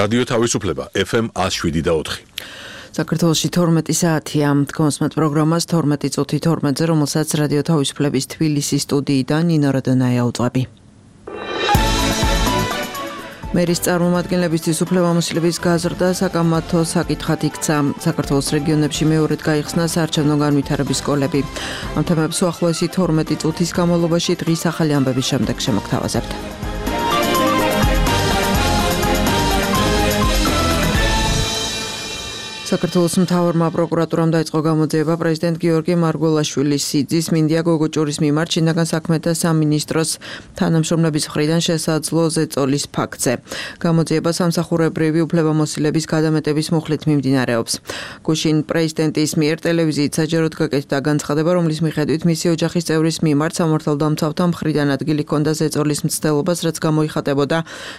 რადიო თავისუფლება FM 107.4. საქართველოში 12 საათია. კონსმეთ პროგრამას 12 წუთი 12-ზე, რომელსაც რადიო თავისუფლების თბილისის სტუდიიდან ნინო როდონაია უძღვები. მერის წარმომადგენლებისთვის უფლებამოსილების გაზრდა საკამათო საკითხად იქცა. საქართველოს რეგიონებში მეორედ გაიხსნა საარჩევნო განვითარების სკოლები. ამ თემებს უახლოესი 12 წუთის განმავლობაში დღის ახალი ამბების შემდეგ შემოგთავაზებთ. საქართველოს მთავარმა პროკურატურამ დაიწყო გამოძიება პრეზიდენტ გიორგი მარგველაშვილის სიძის მინდია გოგოჭურის მიმართ შინაგან საქმეთა სამინისტროს თანამშრომლების მხრიდან შესაძლო ზეწოლის ფაქტზე. გამოძიება სამსახურებრივი უფლებამოსილების გადამეტების მუხლით მიმდინარეობს. გუშინ პრეზიდენტის მიერ ტელევიზიით საჯაროდ გაკეთდა განცხადება, რომლის მიხედვით მისი ოჯახის წევრის მიმართ სამართალდამცავთა მხრიდან ადგილი ჰქონდა ზეწოლის მცდელობას, რაც გამოიხატებოდა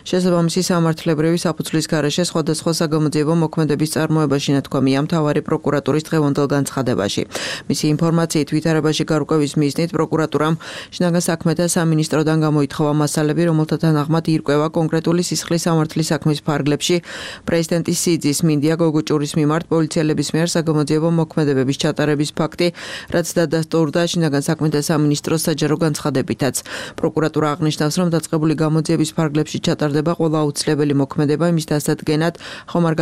შესაბამისი სამართლებრივი საფუძვლის გარეშე სხვადასხვა საგამოძიებო მოქმედების წარმოებაში. თქვამია მთავარი პროკურატურის დღევანდელ განცხადებაში. მისი ინფორმაციით ვითარებაში გარკვევის მიზნით პროკურატურამ შინაგან საქმეთა სამინისტროდან გამოითხოვა მასალები, რომელთა თანახმად ირკვევა კონკრეტული სისხლის სამართლის საქმის ფარგლებში პრეზიდენტის სიძის მინდია გოგოჭურის მიმართ პოლიციელების მიერ საგამოძიებო მოქმედებების ჩატარების ფაქტი, რაც დადასტურდა შინაგან საქმეთა სამინისტროს საჯარო განცხადებითაც. პროკურატურა აღნიშნავს, რომ დაწყებული გამოძიების ფარგლებში ჩატარდება ყველა აუცილებელი მოქმედება იმის დასადგენად, ხომ არ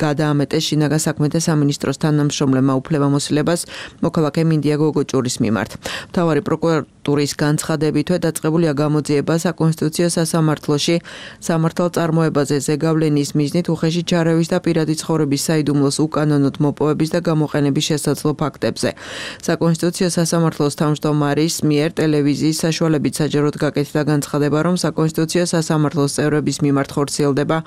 გადაამეტეს შინაგან საქმეთა სამინისტროს თანამშრომლებმა უფლებამოსილებას მოქალაქე მინდია გოგოჭურის მიმართ. მთავარი პროკურატურის განცხადებითვე დაწყებულია გამოძიება საკონსტიტუციო სასამართლოში სამართალწარმოებაზე ზეგავლენის მიზნით უხეში ჩარევის და პირადი ცხოვრების საიდუმლოს უკანონოდ მოპოვების და გამოყენების შესაძლო ფაქტებზე. საკონსტიტუციო სასამართლოს თავმჯდომარის მიერ ტელევიზიის საშუალებით საჯაროდ გაკეთდა განცხადება, რომ საკონსტიტუციო სასამართლოს წევრების მიმართ ხორციელდება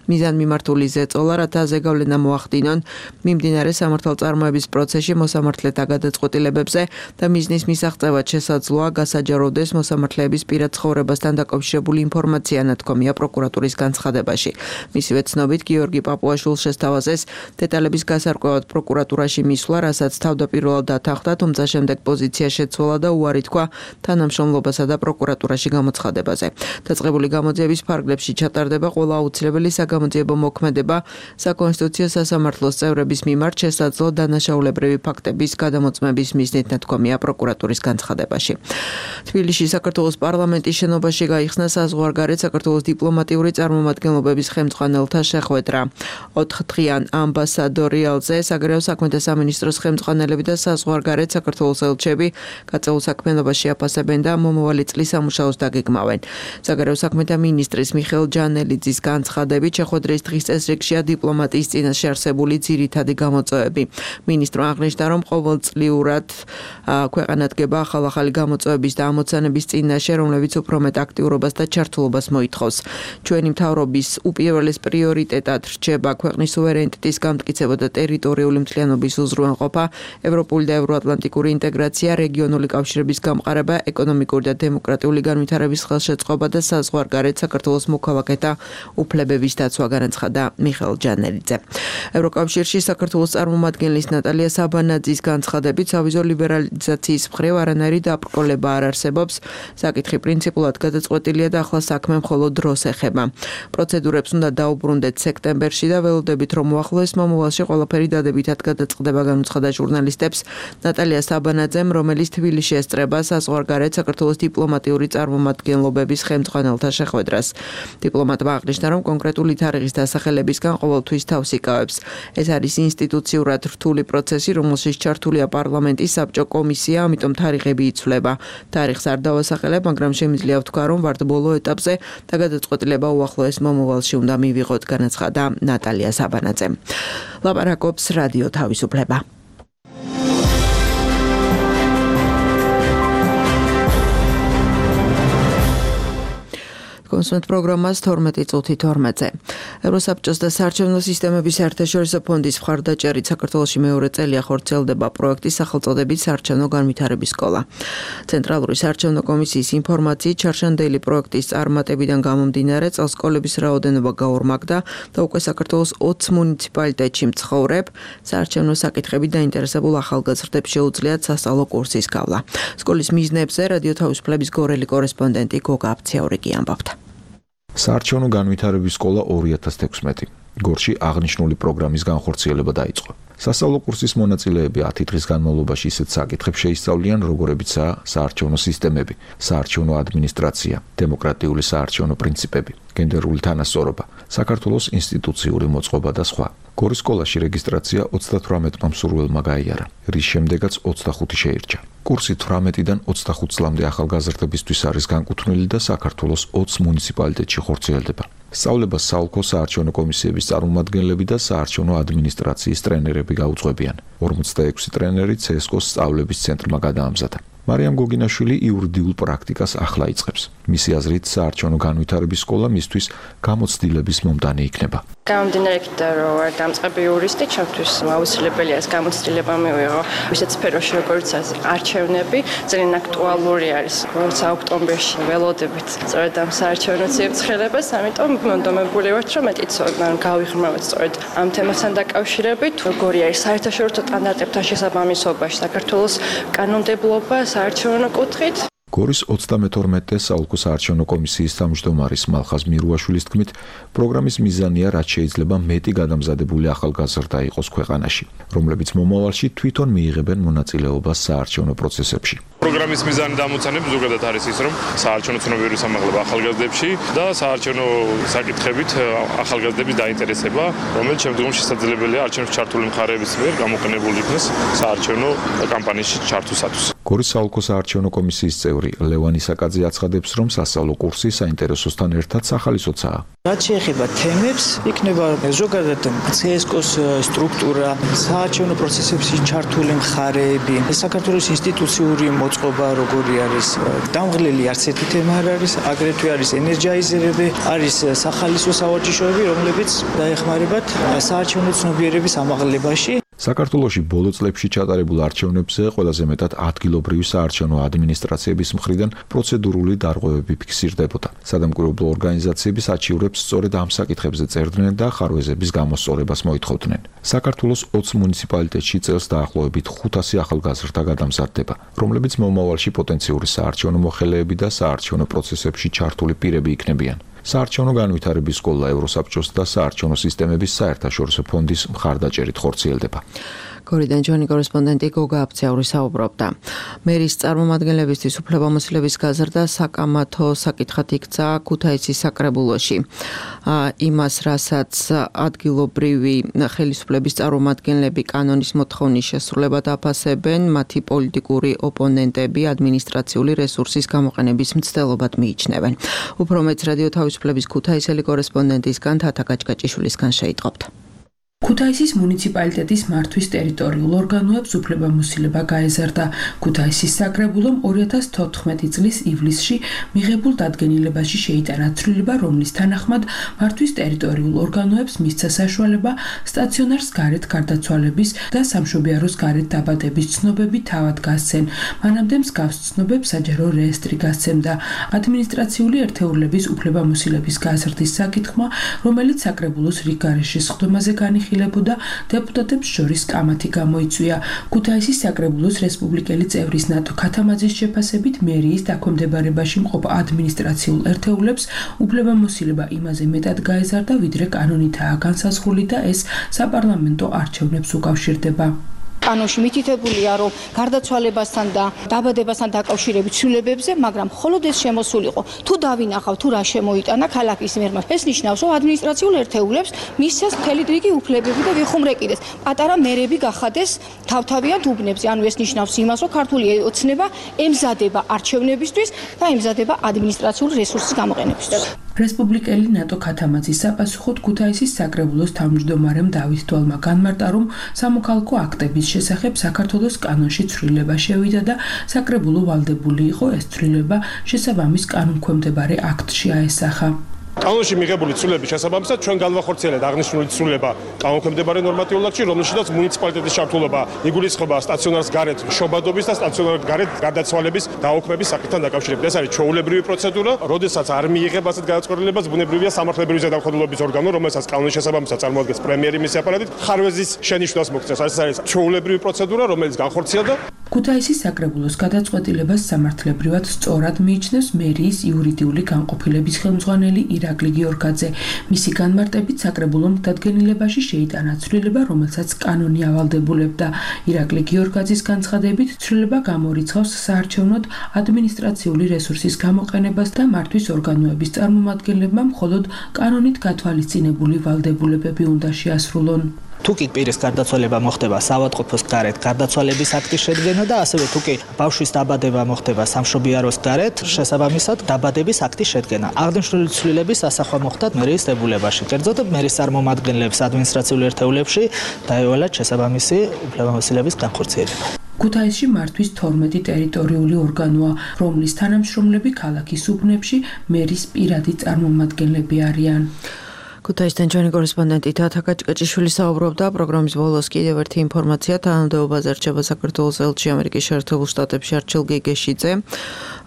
მიზანმიმართული ზეწოლა, რათა ზეგავლენა მოახდინონ მიმდინარე სამართალწარმოების პროცესში მოსამართლეთა გადაწყვეტილებებზე და მიზნის მისაღწევად შესაძლოა გასაჯაროვდეს მოსამართლეების პირად ცხოვრებასთან დაკავშირებული ინფორმაცია, ნათქვამია პროკურატურის განცხადებაში. მისივე ცნობით, გიორგი პაპუაშვილს შესთავაზეს დეტალების გასარკვევად პროკურატურაში მისვლა, რასაც თავდაპირველად დათანხმდა, თუმცა შემდეგ პოზიცია შეცვალა და უარი თქვა თანამშრომლობასა და პროკურატურაში გამოცხადებაზე. დაწყებული გამოძიების ფარგლებში ჩატარდება ყველა აუცილებელი საგამოძიებო მოქმედება საკონსტიტუციო სასამართლოს წევრების მიმართ შესაძლო დანაშაულებრივი ფაქტების გადამოწმების მიზნით, ნათქვამია პროკურატურის განცხადებაში. თბილისში საქართველოს პარლამენტის შენობაში გაიხსნა საზღვარგარეთ საქართველოს დიპლომატიური წარმომადგენლობების ხელმძღვანელთა შეხვედრა. 4-დღიან ამბასადორიალზე საგარეო საქმეთა სამინისტროს ხელმძღვანელები და საზღვარგარეთ საქართველოს ელჩები გაწეულ საქმიანობაში აფასებენ და მომავალი წლის სამუშაოს დაგეგმავენ. საგარეო საქმეთა მინისტრის მიხეილ ჯანელიძის განცხადებით შეხვედრის დღის წესრიგშია დიპლომატიის წინაშე არსებული ძირითადი გამოწვევები. მინისტრმა აღნიშნა, რომ ყოველწლიურად ქვეყანადგება ახალ-ახალი გამოწვევების და ამოცანების წინაშე, რომლებიც უფრო მეტ აქტიურობას და ჩართულობას მოითხოვს. ჩვენი მთავრობის უპირველეს პრიორიტეტად რჩება ქვეყნის სუვერენიტეტის გამტკიცება და ტერიტორიული მთლიანობის უზრუნველყოფა, ევროპული და ევროატლანტიკური ინტეგრაცია, რეგიონული კავშირების გამყარება, ეკონომიკური და დემოკრატიული განვითარების ხელშეწყობა და საზღვარგარეთ საქართველოს მოქალაქეთა უფლებების დაცვა, განაცხადა მიხეილ ჯანელიძე. ევროკავშირში საქართველოს წარმომადგენლის ნატალია საბანაძის განცხადებით, სავიზო ლიბერალიზაციის მხრივ არანაირი დაბრკოლება არ არსებობს. საკითხი პრინციპულად გადაწყვეტილია და ახლა საქმე მხოლოდ დროს ეხება. პროცედურებს უნდა დაუბრუნდეთ სექტემბერში და ველოდებით, რომ უახლოეს მომავალში ყველაფერი დადებითად გადაწყდება, განუცხადა ჟურნალისტებს ნატალია საბანაძემ, რომელიც თბილისში ესწრება საზღვარგარეთ საქართველოს დიპლომატიური წარმომადგენლობების ხელმძღვანელთა შეხვედრას. დიპლომატმა აღნიშნა, რომ კონკრეტული თარიღის დასახელებისგან ყოველთვის თავს იკავებს. ეს არის ინსტიტუციურად რთული პროცესი, რომელშიც ჩართულია პარლამენტის საბჭო კომისია, ამიტომ თარიღები იცვლება. თარიღს არ დავასახელებ, მაგრამ შემიძლია ვთქვა, რომ ვართ ბოლო ეტაპზე და გადაწყვეტილება უახლოეს მომავალში უნდა მივიღოთ, განაცხადა ნატალია საბანაძემ. ლაპარაკობს რადიო თავისუფლება. კონსმეთ პროგრამას 12 წუთი 12-ზე. ევროსაბჭოს და საარჩევნო სისტემების საერთაშორისო ფონდის მხარდაჭერით საქართველოში მეორე წელია ხორციელდება პროექტის სახელწოდებით საარჩევნო განვითარების სკოლა. ცენტრალური საარჩევნო კომისიის ინფორმაციით ჩარშანდელი პროექტის წარმატებიდან გამომდინარე წელს სკოლების რაოდენობა გაორმაგდა და უკვე საქართველოს 20 მუნიციპალიტეტში მცხოვრებ საარჩევნო საკითხებით დაინტერესებულ ახალგაზრდებს შეუძლიათ სასწავლო კურსის გავლა. სკოლის მიზნებზე რადიო თავისუფლების გორელი კორესპონდენტი გოგა აფციაურიკი ამბობდა. საარჩევნო განვითარების სკოლა 2016. გორში აღნიშნული პროგრამის განხორციელება დაიწყო. სასწავლო კურსის მონაწილეები 10 დღის განმავლობაში ისეთ საკითხებს შეისწავლიან, როგორებიცაა საარჩევნო სისტემები, საარჩევნო ადმინისტრაცია, დემოკრატიული საარჩევნო პრინციპები, გენდერული თანასწორობა, საქართველოს ინსტიტუციური მოწყობა და სხვა. გორის სკოლაში რეგისტრაცია 38 მსურველმა გაიარა, რის შემდეგაც 25 შეირჩა. კურსი 18-დან 25 წლამდე ახალგაზრდებისთვის არის განკუთვნილი და საქართველოს 20 მუნიციპალიტეტში ხორციელდება. სწავლებას საოლქო საარჩევნო კომისიების წარმომადგენლები და საარჩევნო ადმინისტრაციის ტრენერები გაუძღვებიან. 46 ტრენერი CSKO-ს სწავლების ცენტრმა გადაამზადა. მარიამ გოგინაშვილი იურიდიულ პრაქტიკას ახლა იწყებს. მისი აზრით, საარჩევნო განვითარების სკოლა მისთვის გამოცდილების მომდანი იქნება. გამომდინარე იქიდან, რომ ვარ დამწყები იურისტი, ჩემთვის აუცილებელია ეს გამოცდილება მივიღო. ისეთ სფეროში, როგორც არჩევნები, ძალიან აქტუალური არის. როცა ოქტომბერში ველოდებით სწორედ ამ საარჩევნო ციებ-ცხელებას, ამიტომ მონდომებული ვართ, რომ მეტიც გავიღრმავოთ სწორედ ამ თემასთან დაკავშირებით, როგორი არის საერთაშორისო სტანდარტებთან შესაბამისობაში საქართველოს კანონმდებლობა საარჩევნო კუთხით. გორის 32-ე საოლქო საარჩევნო კომისიის თავმჯდომარის მალხაზ მირუაშვილის თქმით, პროგრამის მიზანია რაც შეიძლება მეტი გადამზადებული ახალგაზრდა იყოს ქვეყანაში, რომლებიც მომავალში თვითონ მიიღებენ მონაწილეობას საარჩევნო პროცესებში. პროგრამის მიზანი და ამოცანები ზოგადად არის ის, რომ საარჩევნო ცნობიერების ამაღლება ახალგაზრდებში და საარჩევნო საკითხებით ახალგაზრდების დაინტერესება, რომელიც შემდგომში შესაძლებელია არჩევნებში ჩართული მხარეების მიერ გამოყენებული იქნეს საარჩევნო კამპანიაში ჩართვისათვის. გორის საოლქო საარჩევნო კომისიის წევრი ლევანი საკაძე აცხადებს, რომ სასწავლო კურსი საინტერესოსთან ერთად სახალისოცაა. რაც შეეხება თემებს, იქნება ზოგადად CSKO-ს სტრუქტურა, საარჩევნო პროცესებში ჩართული მხარეები, საქართველოს ინსტიტუციური მოწყობა როგორი არის, დამღლელი არც ერთი თემა არ არის, აგრეთვე არის ენერგიზერები, არის სახალისო სავარჯიშოები, რომლებიც დაეხმარებათ საარჩევნო ცნობიერების ამაღლებაში. საქართველოში ბოლო წლებში ჩატარებულ არჩევნებზე ყველაზე მეტად ადგილობრივი საარჩევნო ადმინისტრაციების მხრიდან პროცედურული დარღვევები ფიქსირდებოდა. სადამკვირვებლო ორგანიზაციები საჩივრებს სწორედ ამ საკითხებზე წერდნენ და ხარვეზების გამოსწორებას მოითხოვდნენ. საქართველოს 20 მუნიციპალიტეტში წელს დაახლოებით 500 ახალგაზრდა გადამზადდება, რომლებიც მომავალში პოტენციური საარჩევნო მოხელეები და საარჩევნო პროცესებში ჩართული პირები იქნებიან. საარჩევნო განვითარების სკოლა ევროსაბჭოს და საარჩევნო სისტემების საერთაშორისო ფონდის მხარდაჭერით ხორციელდება. გორიდან ჩვენი კორესპონდენტი გოგა აფციური საუბრობდა. მერის წარმომადგენლებისთვის უფლებამოსილების გაზრდა საკამათო საკითხად იქცა ქუთაისის საკრებულოში. იმას, რასაც ადგილობრივი ხელისუფლების წარმომადგენლები კანონის მოთხოვნის შესრულებად აფასებენ, მათი პოლიტიკური ოპონენტები ადმინისტრაციული რესურსის გამოყენების მცდელობად მიიჩნევენ. უფრო მეც რადიო თავისუფლების ქუთაისელი კორესპონდენტისგან თათა გაჭკაჭიშვილისგან შეიტყობთ. ქუთაისის მუნიციპალიტეტის მართვის ტერიტორიულ ორგანოებს უფლებამოსილება გაეზარდა. ქუთაისის საკრებულომ 2014 წლის ივლისში მიღებულ დადგენილებაში შეიტანა ცვლილება, რომლის თანახმად მართვის ტერიტორიულ ორგანოებს მისცა საშუალება სტაციონარს გარეთ გარდაცვალების და სამშობიაროს გარეთ დაბადების ცნობები თავად გასცენ. მანამდე მსგავს ცნობებს საჯარო რეესტრი გასცემდა. ადმინისტრაციული ერთეულების უფლებამოსილების გაზრდის საკითხმა, რომელიც საკრებულოს რიგგარეშე სხდომაზე განიხილება, დეპუტატებს შორის კამათი გამოიწვია. ქუთაისის საკრებულოს რესპუბლიკელი წევრის ნატო ქათამაძის შეფასებით, მერიის დაქვემდებარებაში მყოფ ადმინისტრაციულ ერთეულებს უფლებამოსილება იმაზე მეტად გაეზარდა, ვიდრე კანონითაა განსაზღვრული და ეს საპარლამენტო არჩევნებს უკავშირდება. კანონში მითითებულია, რომ გარდაცვალებასთან და დაბადებასთან დაკავშირებით ცვლილებებზე, მაგრამ მხოლოდ ეს შემოსულიყო. თუ დავინახავ, თუ რა შემოიტანა ქალაქის მერმა, ეს ნიშნავს, რომ ადმინისტრაციულ ერთეულებს მისცეს მთელი რიგი უფლებები და ვიხუმრეკიდეს. პატარა მერები გახადეს თავთავიან უბნებზე. ანუ ეს ნიშნავს იმას, რომ ქართული ოცნება ემზადება არჩევნებისთვის და ემზადება ადმინისტრაციული რესურსის გამოყენებისთვის. რესპუბლიკელი ნატო ქათამაძის sapasუხოდ ქუთაისის საკრებულოს თავმჯდომარემ დავით დვალმა განმარტა, რომ სამოქალაქო აქტების შესახებ საქართველოს კანონში ცვლილება შევიდა და საკრებულო ვალდებული იყო ეს ცვლილება შესაბამის კანონქვემდებარე აქტში აესახა. კანონში მიღებული ცვლილების შესაბამისად ჩვენ განვახორციელებთ აღნიშნული ცვლილება კანონქვემდებარე ნორმატიულ აქტში, რომელშიც მუნიციპალიტეტის ჩართულობა იგულისხმება სტაციონარს გარეთ შობადობის და სტაციონარს გარეთ გარდაცვალების დაუქმების საკითხთან დაკავშირებით. ეს არის ჩვეულებრივი პროცედურა, როდესაც არ მიიღება ასეთ გადაწყვეტილებას, ბუნებრივია სამართლებრივი ზედამხედველობის ორგანო, რომელსაც კანონის შესაბამისად წარმოადგენს პრემიერი მისი აპარატით, ხარვეზის შენიშვნას მოგწევს. ეს არის ჩვეულებრივი პროცედურა, რომელიც განხორციელდა. ქუთაისის საკრებულოს გადაწყვეტილებას სამართლებრივად სწორად მიიჩნევს მერიის იურიდიული განყოფილების ხელმძღვანელი ირაკლი ირაკლი გიორგაძე. მისი განმარტებით საკრებულომ დადგენილებაში შეიტანა ცვლილება, რომელსაც კანონი ავალდებულებდა. ირაკლი გიორგაძის განცხადებით, ცვლილება გამორიცხავს საარჩევნოდ ადმინისტრაციული რესურსის გამოყენებას და მართვის ორგანოების წარმომადგენლებმა მხოლოდ კანონით გათვალისწინებული ვალდებულებები უნდა შეასრულონ. თუკი პირის გარდაცვალება მოხდება საავადმყოფოს გარეთ გარდაცვალების აქტის შედგენა და ასევე თუკი ბავშვის დაბადება მოხდება სამშობიაროს გარეთ შესაბამისად დაბადების აქტის შედგენა. აღნიშნული ცვლილების ასახვა მოხდა მერიის დებულებაში. კერძოდ მერის წარმომადგენლებს ადმინისტრაციულ ერთეულებში დაევალათ შესაბამისი უფლებამოსილების განხორციელება. ქუთაისში მართვის 12 ტერიტორიული ორგანოა, რომლის თანამშრომლები ქალაქის უბნებში მერის პირადი წარმომადგენლები არიან. ქუთაისთან ჩვენი კორესპონდენტი თათა კაჭკაჭიშვილი საუბრობდა. პროგრამის ბოლოს კიდევ ერთი ინფორმაცია. თანამდებობაზე რჩება საქართველოს ელჩი ამერიკის შეერთებულ შტატებში არჩილ გეგეშიძე.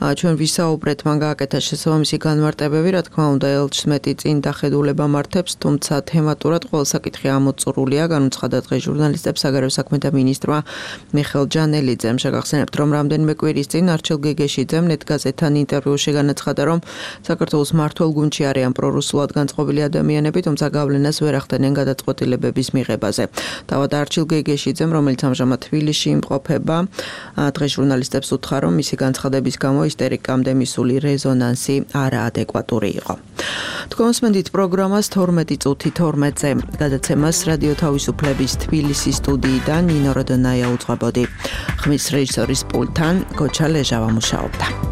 ჩვენ ვისაუბრეთ, მან გააკეთა შესაბამისი განმარტებები, რა თქმა უნდა, ელჩს მეტი წინ დახედულება მართებს, თუმცა თემატურად ყველა საკითხი ამოწურულია. განუცხადა დღეს ჟურნალისტებს საგარეო საქმეთა მინისტრმა მიხეილ ჯანელიძემ. შეგახსენებთ, რომ რამდენიმე კვირის წინ არჩილ გეგეშიძემ ნეტგაზეთთან ინტერვიუში განაცხადა, რომ საქართველოს მმართველ გუნდში არიან პრორუსულად განწყობილი ადამიანები, თუმცა გავლენას ვერ ახდენენ გადაწყვეტილებების მიღებაზე. თავად არჩილ გეგეშიძემ, რომელიც ამჟამად თბილისში იმყოფება, დღეს ჟურნალისტებს უთხრა, რომ მისი განცხადების გამო ისტერიკამდე მისული რეზონანსი არაადეკვატური იყო. თქვენსმენდით პროგრამას 12:12-ზე გადაცემას რადიო თავისუფლების თბილისის სტუდიიდან ნინო როდონაია უძღვებოდი. ხმის რეჟისორის პულტთან გოჩა ლეჟავა მუშაობდა.